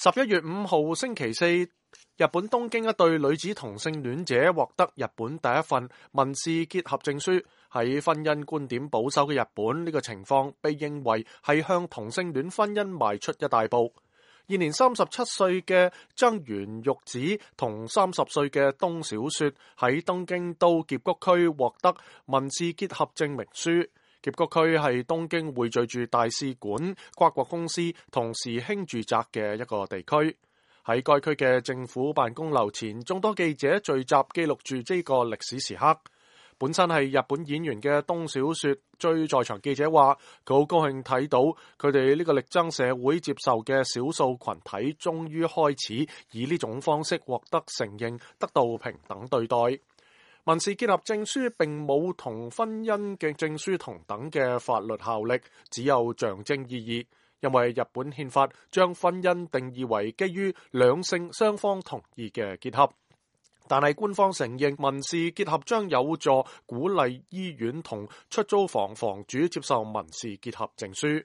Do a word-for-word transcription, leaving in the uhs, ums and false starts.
十一月五號星期四，日本東京一對女子同性戀者獲得日本第一份民事結合證書。喺婚姻觀點保守嘅日本，呢個情況被認為係向同性戀婚姻邁出一大步。現年三十七歲嘅增原玉子同三十歲嘅東小雪喺東京都澀谷區獲得民事結合證明書。澀谷區係東京匯聚住大使館、跨國公司同時興住宅嘅一個地區。喺該區嘅政府辦公樓前，眾多記者聚集記錄住呢個歷史時刻。本身係日本演員嘅東小雪追在場記者話，佢好高興睇到佢哋呢個力爭社會接受嘅少數群體終於開始以呢種方式獲得承認，得到平等對待。民事結合證書並冇同婚姻嘅證書同等嘅法律效力，只有象徵意義，因為日本憲法將婚姻定義為基於兩性雙方同意嘅結合。但係官方承認民事結合將有助鼓勵醫院同出租房房主接受民事結合證書。